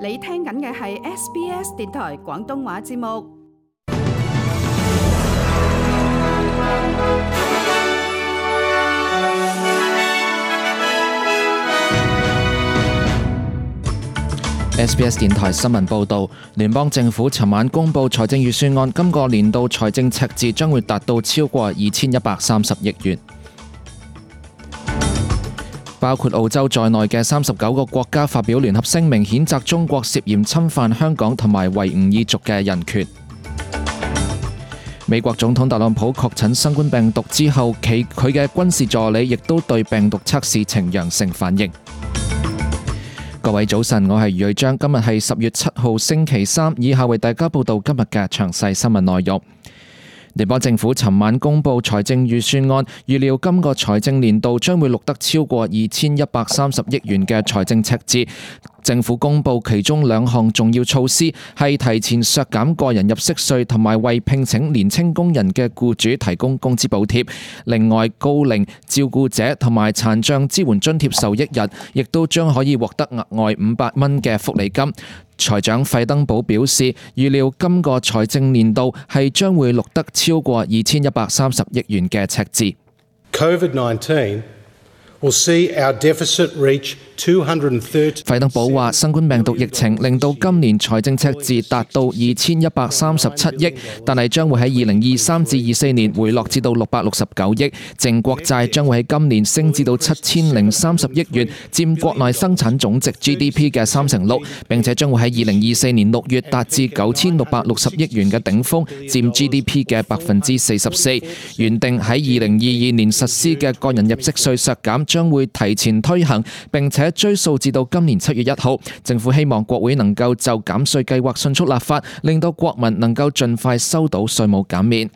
你聽緊嘅係 SBS 電台廣東話節目。SBS 電台新聞報導，聯邦政府尋晚公布財政預算案，今個年度財政赤字將會達到超過2130億元。包括澳洲在內嘅39個國家發表聯合聲明，譴責中國涉嫌侵犯香港同埋維吾爾族嘅人權。美國總統特朗普確診新冠病毒之後，佢嘅軍事助理亦都對病毒測試呈陽性反應。各位早晨，我係余瑞章，今日係10月7號星期三，以下為大家報道今日嘅詳細新聞內容。聯邦政府尋晚公布財政預算案，預料今個財政年度將會錄得超過2130億元嘅財政赤字。政府公布其中2項重要措施，係提前削減個人入息稅同埋為聘請年輕工人嘅僱主提供工資補貼。另外，高齡照顧者同埋殘障支援津貼受益人亦都將可以獲得額外500蚊嘅福利金。財長費登堡表示，預料今個財政年度係將會錄得超過2130億元嘅赤字。COVID-19 will see our deficit reach 230。費登堡話，新冠病毒疫情令到今年財政赤字達到2137億，但係將會喺2023至24年回落至到669億。淨國債將會喺今年升至到7030億元，佔國內生產總值 GDP 嘅36%，並且將會喺2024年6月達至9660億元嘅頂峰，佔 GDP 嘅44%。原定喺2022年實施嘅個人入息稅削減將會提前推行，並且追溯至到今年7月1號。政府希望國會能夠就減稅計劃迅速立法，令到國民能夠盡快收到稅務減免。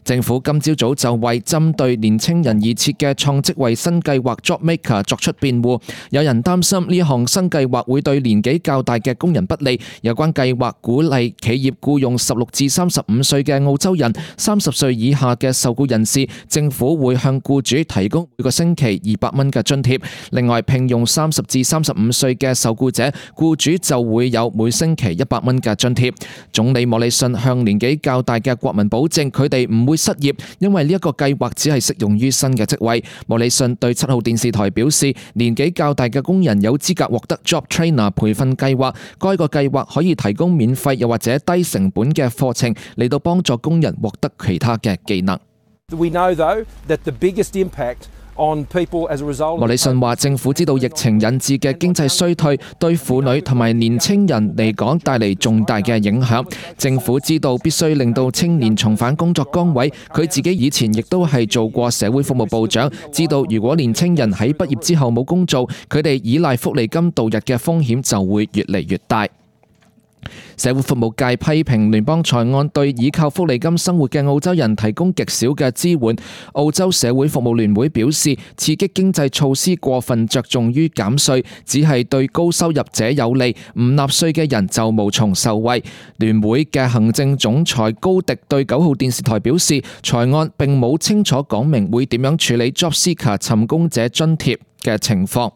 政府今朝早就為針對年青人而設嘅創職位新計劃 JobMaker 作出辯護。有人擔心呢項新計劃會對年紀較大嘅工人不利。有關計劃鼓勵企業僱用16至35歲嘅澳洲人，30歲以下嘅受僱人士，政府會向僱主提供每個星期200蚊嘅津貼。另外，聘用30至35歲嘅受僱者，僱主就會有每星期100蚊嘅津貼。總理莫里遜向年紀較大嘅國民保證，佢哋唔會失業，因為呢一個計劃只係適用於新嘅職位。莫里遜對7號電視台表示，年紀較大嘅工人有資格獲得 Job Trainer 培訓計劃，該個計劃可以提供免費又或者低成本嘅課程嚟到幫助工人獲得其他嘅技能。We know though that the biggest impact on people as a result。莫里遜話，政府知道疫情引致嘅經濟衰退對婦女同埋年青人嚟講帶嚟重大嘅影響。政府知道必須令到青年重返工作崗位。佢自己以前亦都係做過社會服務部長，知道如果年青人喺畢業之後冇工做，佢哋依賴福利金度日嘅風險就會越嚟越大。社會服務界批評聯邦財案對依靠福利金生活嘅澳洲人提供極少嘅支援。澳洲社會服務聯會表示，刺激經濟措施過分着重於減稅，只係對高收入者有利，唔納稅嘅人就無從受惠。聯會嘅行政總裁高迪對9號電視台表示，財案並冇清楚講明會點樣處理 Job Seeker 尋工者津貼嘅情況。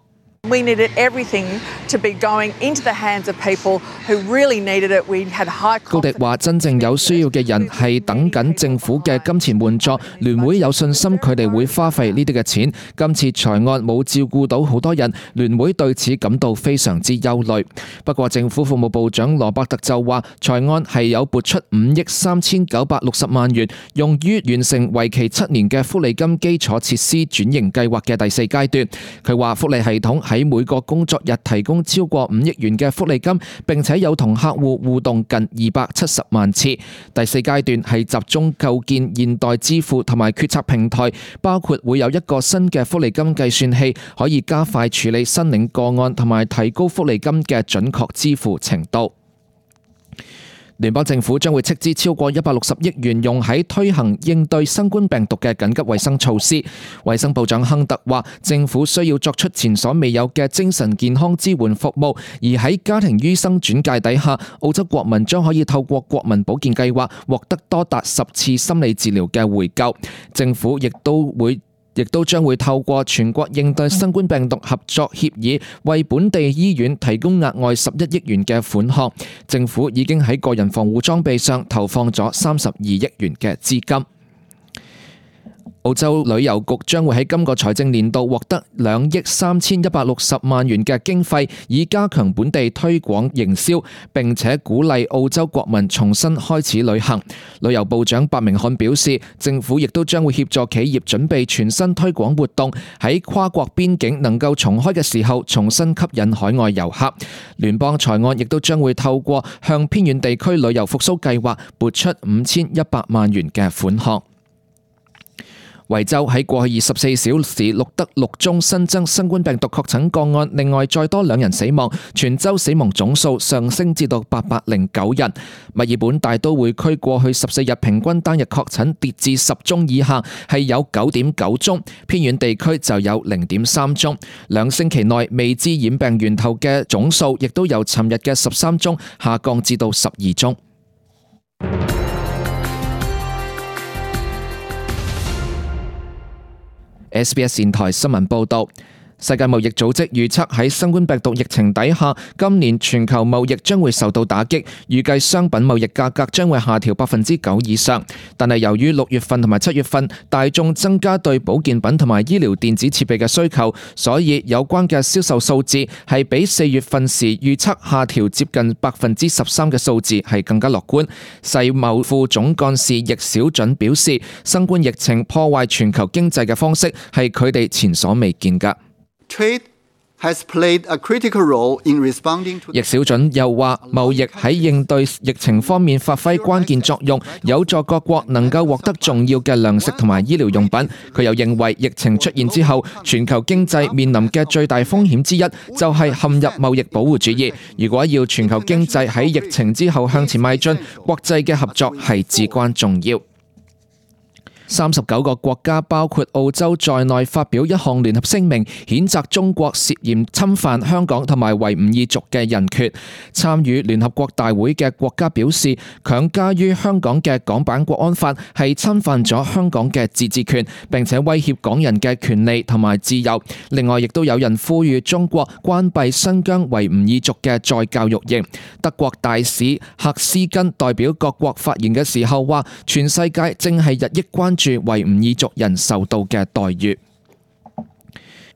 We needed everything to be going into the hands of people who really needed it. We had high confidence. 高迪話：真正有需要嘅人係等緊政府嘅金錢援助，聯會有信心佢哋會花費呢啲嘅錢。今次財案冇照顧到好多人，聯會對此感到非常之憂慮。不過政府服務部長羅伯特就話，財案係有撥出5億3960萬元，用於完成為期7年嘅福利金基礎設施轉型計劃嘅第4階段。佢話福利系統喺每個工作日提供超過5億元嘅福利金，並且有同客戶互動近270萬次。第4階段係集中構建現代支付同埋決策平台，包括會有一個新嘅福利金計算器，可以加快處理申領個案同埋提高福利金嘅準確支付程度。聯邦政府將會斥資超過160億元用喺推行應對新冠病毒嘅緊急衛生措施。衛生部長亨特話，政府需要作出前所未有嘅精神健康支援服務，而喺家庭醫生轉介底下，澳洲國民將可以透過國民保健計劃獲得多達10次心理治療嘅回救。政府亦都會亦都將會透過全國應對新冠病毒合作協議，為本地醫院提供額外11億元嘅款項。政府已經喺個人防護裝備上投放咗32億元嘅資金。澳洲旅遊局將會喺今個財政年度獲得2億3160萬元嘅經費，以加強本地推廣營銷，並且鼓勵澳洲國民重新開始旅行。旅遊部長白明漢表示，政府亦都將會協助企業準備全新推廣活動，喺跨國邊境能夠重開嘅時候，重新吸引海外遊客。聯邦財案亦都將會透過向偏遠地區旅遊復甦計劃撥出5100萬元嘅款項。維州喺過去24小時錄得6宗新增新冠病毒確診個案，另外再多2人死亡，全州死亡總數上升至到809人。墨爾本大都會區過去14日平均單日確診跌至10宗以下，係有 9.9 宗，偏遠地區就有 0.3 宗。2星期內未知染病源頭嘅總數亦都由尋日嘅13宗下降至到12宗。SBS 電台新聞報導，世界貿易組織預測喺新冠病毒疫情底下，今年全球貿易將會受到打擊，預計商品貿易價格將會下調 9% 以上。但係由於6月份同埋7月份大眾增加對保健品同埋醫療電子設備嘅需求，所以有關嘅銷售數字係比4月份時預測下調接近 13% 嘅數字係更加樂觀。世貿副總幹事易小準表示，新冠疫情破壞全球經濟嘅方式係佢哋前所未見㗎。Trade has played a critical role in responding to。易小準又話，貿易喺應對疫情方面發揮關鍵作用，有助各國能夠獲得重要嘅糧食同埋醫療用品。佢又認為，疫情出現之後，全球經濟面臨嘅最大風險之一就係陷入貿易保護主義。如果要全球經濟喺疫情之後向前邁進，國際嘅合作係至關重要。39個國家包括澳洲在內發表一項聯合聲明，譴責中國涉嫌侵犯香港同埋維吾爾族嘅人權。參與聯合國大會嘅國家表示，強加於香港嘅港版國安法係侵犯咗香港嘅自治權，並且威脅港人嘅權利同埋自由。另外，亦都有人呼籲中國關閉新疆維吾爾族嘅再教育營。德國大使赫斯根代表各國發言嘅時候話，全世界正係日益關注維吾爾族人受到嘅待遇。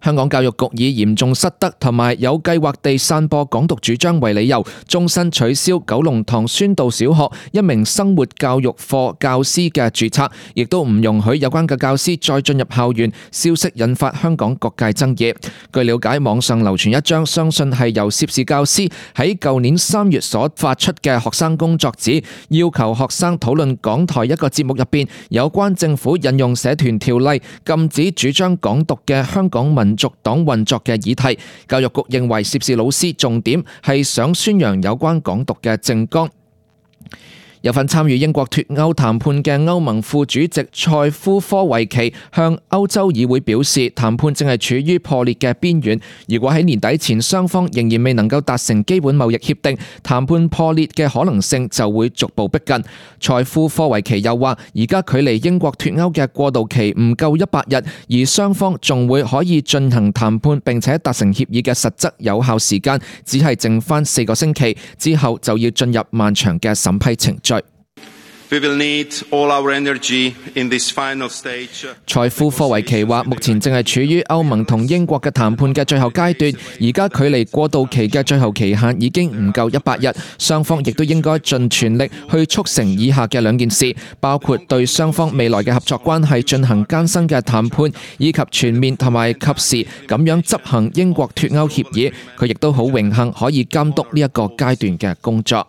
香港教育局以嚴重失德同埋有計劃地散播港獨主張為理由，終身取消九龍塘宣道小學一名生活教育課教師嘅註冊，亦都唔容許有關嘅教師再進入校園。消息引發香港各界爭議。據了解，網上流傳一張相信係由涉事教師喺舊年3月所發出嘅學生工作紙，要求學生討論港台一個節目入邊有關政府引用社團條例禁止主張港獨嘅香港民族黨運作嘅議題。教育局認為涉事老師重點係想宣揚有關港獨嘅政綱。有份參與英國脫歐談判嘅歐盟副主席塞夫科維奇向歐洲議會表示，談判正係處於破裂嘅邊緣。如果喺年底前雙方仍然未能夠達成基本貿易協定，談判破裂嘅可能性就會逐步逼近。塞夫科維奇又話，而家距離英國脫歐嘅過渡期唔夠100日，而雙方仲會可以進行談判並且達成協議嘅實質有效時間只係剩返4個星期，之後就要進入漫長嘅審批程序。We will need all our energy in this final stage. 塞夫科維奇話，目前正係處於歐盟同英國嘅談判嘅最後階段，而家距離過渡期嘅最後期限已經唔夠100日，雙方亦都應該盡全力去促成以下嘅2件事，包括對雙方未來嘅合作關係進行艱辛嘅談判，以及全面同埋及時咁樣執行英國脫歐協議。佢亦都好榮幸可以監督呢一個階段嘅工作。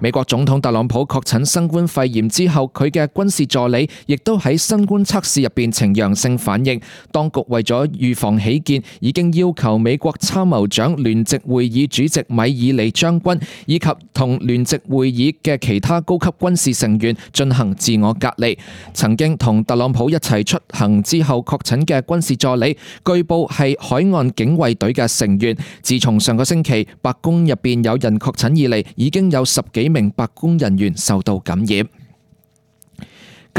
美國總統特朗普確診新冠肺炎之後，佢嘅軍事助理亦都喺新冠測試入邊呈陽性反應。當局為咗預防起見，已經要求美國參謀長聯席會議主席米爾利將軍以及同聯席會議嘅其他高級軍事成員進行自我隔離。曾經同特朗普一齊出行之後確診嘅軍事助理，據報係海岸警衛隊嘅成員。自從上個星期白宮入邊有人確診以嚟，已經有10幾名白宮人員受到感染。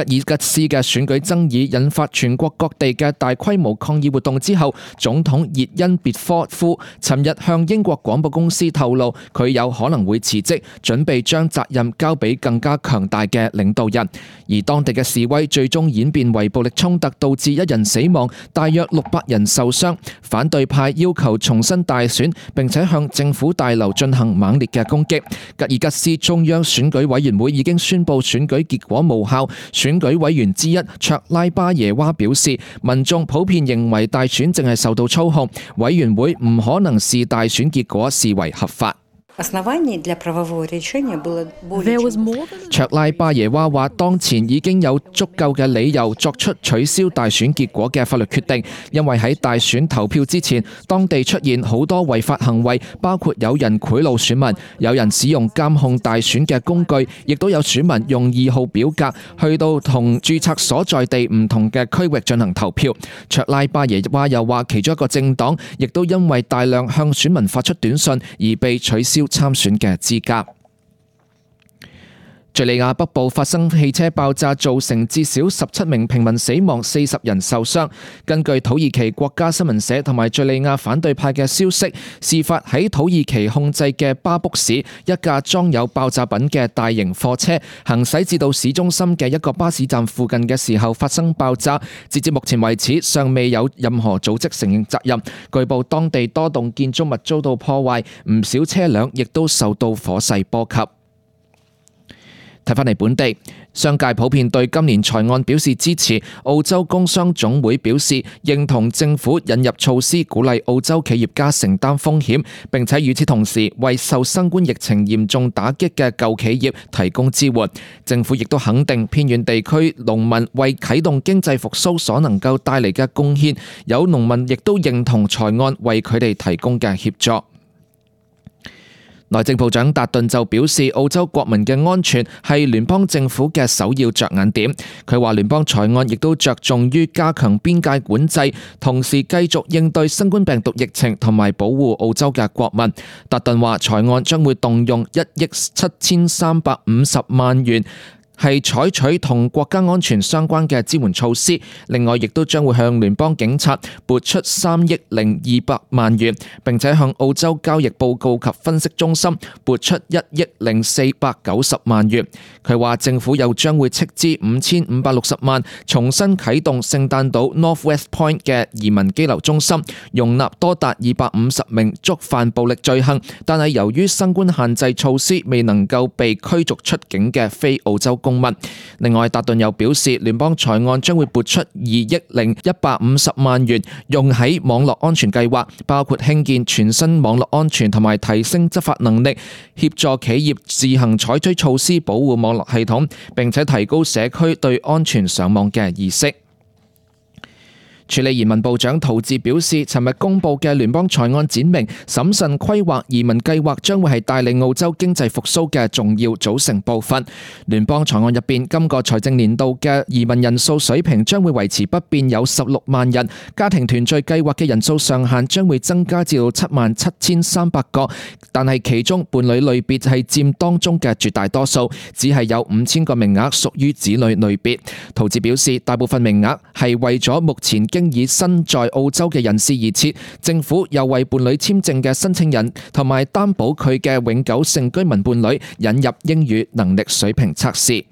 吉爾吉斯嘅選舉爭議引發全國各地嘅大規模抗議活動之後，總統熱恩別科夫尋日向英國廣播公司透露，佢有可能會辭職，準備將責任交俾更加強大嘅領導人。而當地嘅示威最終演變為暴力衝突，導致1人死亡，大約600人受傷。反對派要求重新大選，並且向政府大樓進行猛烈嘅攻擊。吉爾吉斯中央選舉委員會已經宣布選舉結果無效。選舉委員之一卓拉巴耶娃表示，民眾普遍認為大選正係受到操控，委員會唔可能視大選結果視為合法。卓拉巴耶娃話，當前已經有足夠嘅理由作出取消大選結果嘅法律決定，因為喺大選投票之前，當地出現好多違法行為，包括有人賄賂選民，有人使用監控大選嘅工具，亦都有選民用2號表格去到同註冊所在地唔同嘅區域進行投票。卓拉巴耶娃又話，其中一個政黨亦都因為大量向選民發出短信而被取消參選嘅資格。敘利亞北部發生汽車爆炸，造成至少17名平民死亡，40人受傷。根據土耳其國家新聞社同埋敘利亞反對派嘅消息，事發喺土耳其控制嘅巴卜市，一架裝有爆炸品嘅大型貨車行駛至到市中心嘅一個巴士站附近嘅時候發生爆炸。截至目前為止，尚未有任何組織承認責任。據報當地多棟建築物遭到破壞，唔少車輛亦都受到火勢波及。睇返嚟本地，商界普遍對今年財案表示支持。澳洲工商總會表示認同政府引入措施，鼓勵澳洲企業家承擔風險，並且與此同時為受新冠疫情嚴重打擊嘅舊企業提供支援。政府亦都肯定偏遠地區農民為啟動經濟復甦所能夠帶嚟嘅貢獻，有農民亦都認同財案為佢哋提供嘅協助。內政部長達頓就表示，澳洲國民嘅安全係聯邦政府嘅首要着眼點。佢話聯邦財案亦都着重於加強邊界管制，同時繼續應對新冠病毒疫情同埋保護澳洲嘅國民。達頓話財案將會動用1億7350萬元，係採取同國家安全相關嘅支援措施，另外亦都將會向聯邦警察撥出3億200萬元，並且向澳洲交易報告及分析中心撥出1億490萬元。佢話政府又將會斥資5560萬，重新啟動聖誕島 Northwest Point 嘅移民羈留中心，容納多達250名觸犯暴力罪行，但係由於新冠限制措施未能夠被驅逐出境嘅非澳洲公民。另外，達頓又表示，聯邦財案將會撥出2億150萬元，用喺網絡安全計劃，包括興建全新網絡安全同埋提升執法能力，協助企業自行採取措施保護網絡系統，並且提高社區對安全上網嘅意識。處理移民部長陶治表示，尋日公布嘅聯邦財案展明，審慎規劃移民計劃將會係帶領澳洲經濟復甦嘅重要組成部分。聯邦財案入邊，今個財政年度嘅移民人數水平將會維持不變，有16萬人。家庭團聚計劃嘅人數上限將會增加至到77300個，但係其中伴侶類別係佔當中嘅絕大多數，只係有5000個名額屬於子女類別。陶治表示，大部分名額係為咗目前經已身在澳洲嘅人士而設，政府又為伴侶簽證嘅申請人同埋擔保佢嘅永久性居民伴侶引入英語能力水平測試。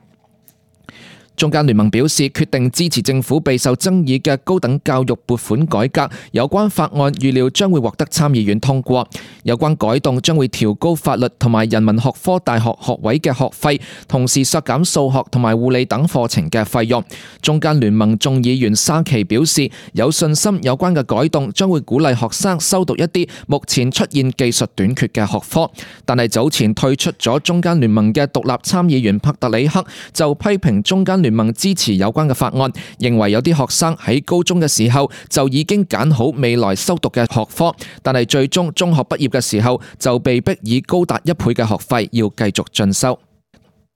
中間聯盟表示決定支持政府備受爭議嘅高等教育撥款改革，有關法案預料將會獲得參議院通過。有關改動將會調高法律同埋人文學科大學學位嘅學費，同時削減數學同埋護理等課程嘅費用。中間聯盟眾議員沙奇表示有信心有關嘅改動將會鼓勵學生修讀一啲目前出現技術短缺嘅學科。但係早前退出咗中間聯盟嘅獨立參議員帕特里克就批評中間聯盟支持有關嘅法案，認為有啲學生喺高中嘅時候就已經揀好未來修讀嘅學科，但係最終中學畢業嘅時候就被逼以高達1倍嘅學費要繼續進修。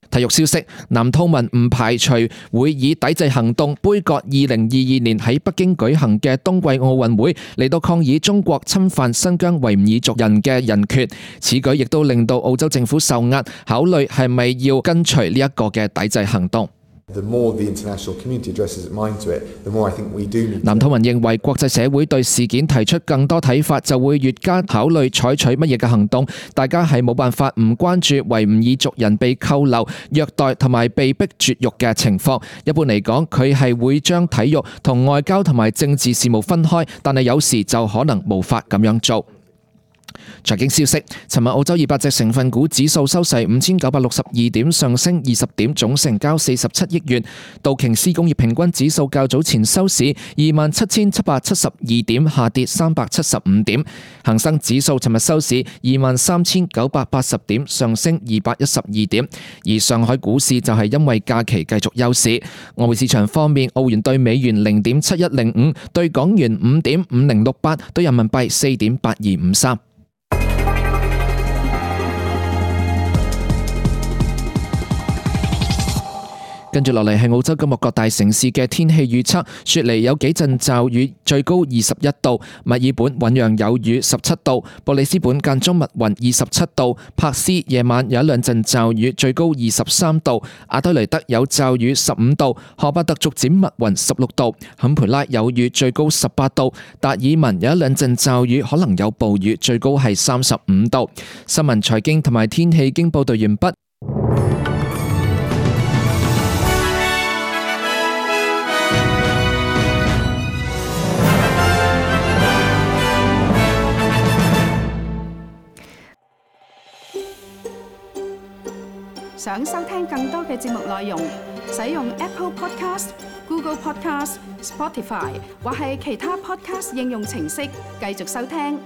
體育消息，南兔民唔排除會以抵制行動杯葛2022年喺北京舉行嘅冬季奧運會，嚟到抗議中國侵犯新疆維吾爾族人嘅人權。此舉亦都令到澳洲政府受壓，考慮係咪要跟隨呢一個嘅抵制行動。The more the international community addresses its mind to it, the more I think we do need. 藍韜文認為國際社會對事件提出更多睇法，就會越加考慮採取乜嘢嘅行動。大家係冇辦法唔關注維吾爾族人被扣留、虐待同埋被逼絕育嘅情況。一般嚟講，佢係會將體育同外交同埋政治事務分開，但係有時就可能無法咁樣做。財經消息，尋日澳洲200隻成分股指數收市5962點，上升20點，總成交47億元。道瓊斯工業平均指數較早前收市27772點，下跌375點。恒生指數尋日收市23980點，上升212點。而上海股市就係因為假期繼續休市。外匯市場方面，澳元對美元0.7105，對港元5.5068，對人民幣4.8253。跟住落嚟係澳洲今日各大城市嘅天氣預測，雪梨有幾陣驟雨，最高21度；墨爾本醞釀有雨，17度；布里斯本間中密雲，27度；珀斯夜晚有一兩陣驟雨，最高23度；阿德雷德有驟雨15度；荷巴特逐漸密雲16度；坎培拉有雨，最高18度；達爾文有一兩陣驟雨，可能有暴雨，最高係35度。新聞、財經同埋天氣經報道完畢。想收聽更多嘅節目內容，使用 Apple Podcast、Google Podcast、Spotify 或係其他 Podcast 應用程式繼續收聽。